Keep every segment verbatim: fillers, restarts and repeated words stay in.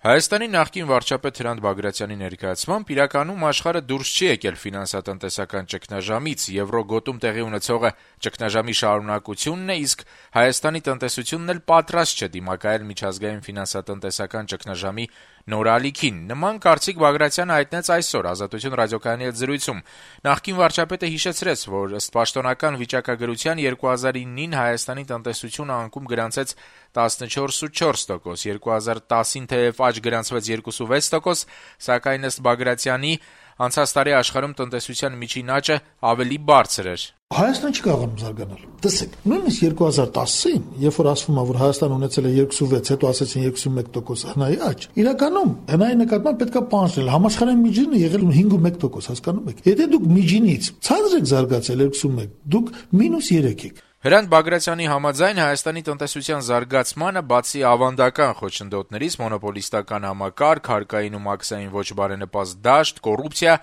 Հայաստանի նախկին վարչապետ Հրանտ Բագրատյանի ներկայացմամբ իրականում աշխարհը դուրս չի եկել ֆինանսատնտեսական ճգնաժամից, եվրոգոտում տեղի ունեցողը ճգնաժամի շարունակությունն է, իսկ Հայաստանի տնտեսությունն էլ պատրաստ չէ դիմակայել միջազգային ֆինանսատնտեսական ճգնաժամի նոր ալիքին։ Նման կարծիք Բագրատյանը հայտնեց այսօր Ազատություն ռադիոկայանի հետ զրույցում։ Նախկին վարչապետը հիշեցրեց, որ ըստ պաշտոնական վիճակագրության երկու հազար իննին Հայաստանի տնտեսությունը անկում գրանցեց տասնչորս ու չորս տոկոս, երկու հազար տասին թեև աճ գրանցվեց երկու ու վեց տոկոս, սակայն ըստ Բագրատյանի անցած տարի աշխարհում տնտեսության միջին աճը ավելի բարձր էր։ Հայաստանը չի կարողանում զարգանալ։ Տեսեք, նույնիսկ երկու հազար տասին, երբ որ ասվում է, որ Հայաստանը ունեցել է երկու ու վեց, հետո ասեցին երկու ու մեկ տոկոս հնայի աճ, իրականում հնայի նկատմամբ պետք է պահանջել։ Համաշխարհային միջինը եղել է հինգ ու մեկ տոկոս, հասկանում եք։ Եթե դուք միջինից ցածր եք զարգացել երկու ու մեկ, դուք մինուս երեք եք։ Հրանտ Բագրատյանի համաձայն Հայաստանի տնտեսության զարգացմանը բացի ավանդական խոչընդոտներից մոնոպոլիստական համակարգ, հարկային ու մաքսային ոչ բարենպաստ դաշտ, կոռուպցիա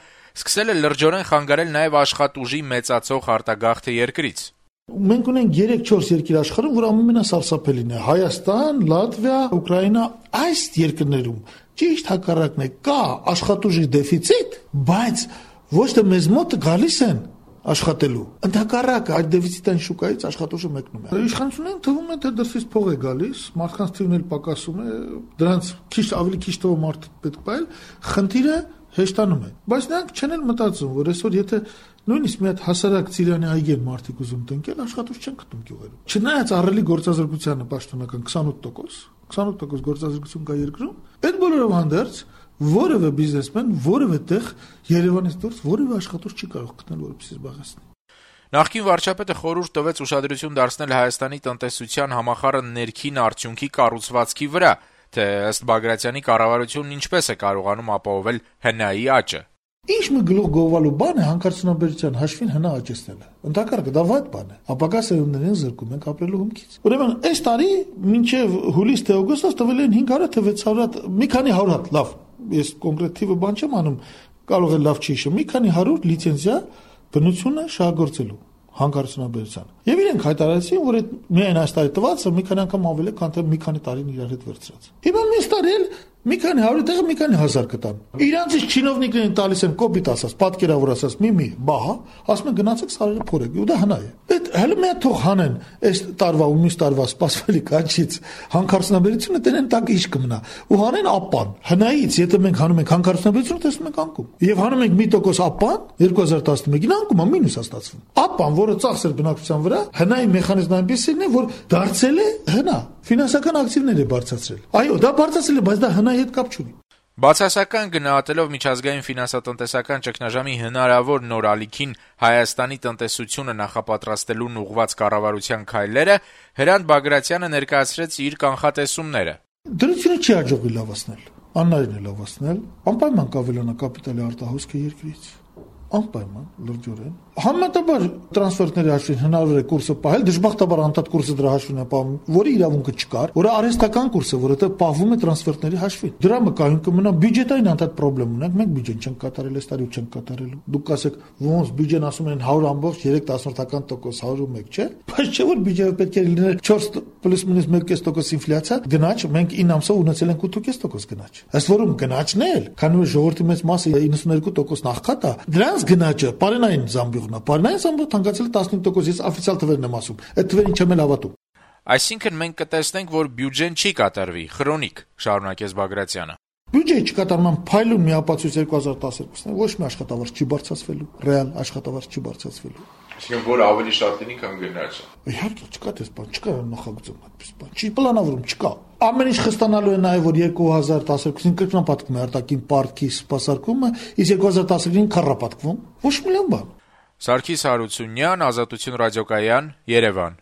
սկսել է լրջորեն խանգարել նաև աշխատուժի մեծացող արտագաղթը երկրից։ Մենք ունենք երեք-չորս երկիր աշխարհում, որ ամենասարսափելին է՝ Հայաստան, Լատվիա, Ուկրաինա, այս երկրներում ճիշտ հակառակն է, կա աշխատուժի դեֆիցիտ, բայց ոչ թե մեզ մոտ գալիս են աշխատելու։ Ընդհակառակը այդ դեֆիցիտային շուկայից աշխատուժը մեկնում է։ Իշխանություններին թվում է, թե դրսից փող է գալիս, մարդկանց թիվն էլ պակասում է, դրանց քիչ ավելի քիչ թվով մարդ պետք է, խնդիրը հեշտանում է։ Բայց նրանք չեն էլ մտածում, որ այսօր եթե նույնիսկ մի հատ հասարակ Ծիրանի այգեն մարդիկ ուզում տնկել, աշխատուժ չեն գտնում գյուղերում։ Չնայած ահռելի գործազրկությանը պաշտոնական քսանութ տոկոս, քսանութ տոկոս գործազրկություն կա երկրում, այդ բոլորով հանդերձ որևէ բիզնեսմեն, որևէ տեղ Երևանից դուրս որևէ աշխատուժ չի կարող գտնել, որպեսզի զբաղեցնի։ Նախկին վարչապետը խորհուրդ տվեց ուշադրություն դարձնել Հայաստանի տնտեսության համախառն ներքին արդյունքի կառուցվածքի վրա, թե ըստ Բագրատյանի կառավարությունն ինչպես է կարողանում ապահովել հնայի աճը։ Ինչ մի գլուխ գովալու բան է հանքարդյունաբերության հաշվին հնա աճեցնելը։ Ընդհակառակը դա վատ բան է։ Ապագա սերունդներին զրկում ենք ապրելու հումքից։ Ուրեմն այս տարի մինչև հուլիս թե օգոստոս տվել են հինգ հարյուր թե վեց հարյուր, մի քանի հարյուր հատ, լավ, ես կոնկրետ թիվը բան չեմ անում, կարող է լավ չի հիշում, մի քանի հարյուր լիցենզիա բնությունը շահագործելու հանքարդյունաբերության։ Եվ իրենք հայտարարեցին, որ այդ միայն այս տարի տվածը մի քանի անգամ ավելի քան թե մի քանի տարին իրար հետ վերցրած։ Հիմա մյուս տարի էլ մի քանի հարյուր տեղը մի քանի հազար կտան։ Իրանցից չինովնիկներին տալիս են կոպիտ ասած, պատկերավոր ասած, մի մի բահա, ասում են գնացեք սարերը փորեք, ու դա հնա է։ Այդ հələ մի հատ թող հանեն այս տարվա ու մյուս տարվա սպասվելիք աճից հանքարդյունաբերությունը տենեն տակ իշ կմնա։ Ու հանեն ապան։ Հնայից, եթե մենք հանում ենք հանքարդյունաբերությունը, տեսնում ենք անկում։ Եվ հանում ենք մի տոկոս ապան, երկու հազար տասնմեկին անկում է մինուս է ստացվում։ Ապան, որը ծախսեր բնակչության վրա, հնայի մեխանիզմն այնպեսին է, որ դարձել է հնա, ֆինանսական ակտիվներ է բարձրացրել։ Այո, դա բարձրացել է, բայց դա հնայի հետ կապ չունի։ Բացասական գնահատելով միջազգային ֆինանսատնտեսական ճգնաժամի հնարավոր նոր ալիքին Հայաստանի տնտեսությունը նախապատրաստելուն ուղղված կառավարության քայլերը, Հրանտ Բագրատյանը ներկայացրեց իր կանխատեսումները։ Դրությունը չի հաջողվի լավացնել, աննայեն է լավացնել, անպայման կավելանա կապիտալի արտահոսքը երկրից, անպայման լրջորեն։ Համեմատաբար տրանսֆերտների հաշվին հնարավոր է կուրսը պահել, դժբախտաբար անդադ կուրսը դրա հաշվին է պահում, որի իրավունքը չկար, որը արհեստական կուրս է, որովհետև պահվում է տրանսֆերտների հաշվին։ Դրա մկայուն կմնա բյուջետային անդադ խնդրեմ ունենք, մենք բյուջեն չենք կատարել, այս տարի չենք կատարելու։ Դուք ասեք, ոնց բյուջեն ասում են հարյուր ամբողջ երեք տասնորդական տոկոս, հարյուր ու մեկ, չէ՞։ Բայց չէ՞ որ բյուջեը պետք է լիներ չորս պլյուս մինուս մեկ կես տոկոս ինֆլյացիա, գնաճ մենք ինը ամսով ունեցել ենք ութ ու կես տոկոս գնաճ։ Ըստ որում գնաճն էլ, քանի որ ժողովրդի մեծ մասը իննսուն երկու տոկոս նախքատ է, դրանց գնաճը Պարենային զամբյուղն է, պարենային զամբյուղը թանկացել է տասնհինգ տոկոս, ես օֆիցիալ թվերն եմ ասում, այդ թվերին չեմ էլ հավատում։ Այսինքն մենք կտեսնենք, որ բյուջեն չի կատարվի, խրոնիկ, շարունակեց Բագրատյանը։ Բյուջեի չկատարման փայլուն մի ապացույց երկու հազար տասներկուսն է, ոչ մի աշխատավարձ չի բարձրացվելու, ռեալ աշխատավարձ չի բարձրացվելու։ Այսինքն որ ավելի շատ լինի, քան գնաճը։ Իհարկե, չկա դες բան, չկա նախագծում այդպես բան։ Չի պլանավորում, չկա։ Ամեն ինչ խստանալու է նաև որ երկու հազար տասներկուսին կրկնապատկվում է արտաքին պարտքի սպասարկումը, իսկ երկու հազար տասնինին քառապատկվում։ Ոչ մի լավ բան։ Սարգիս Հարությունյան, Ազատություն ռադիոկայան, Երևան։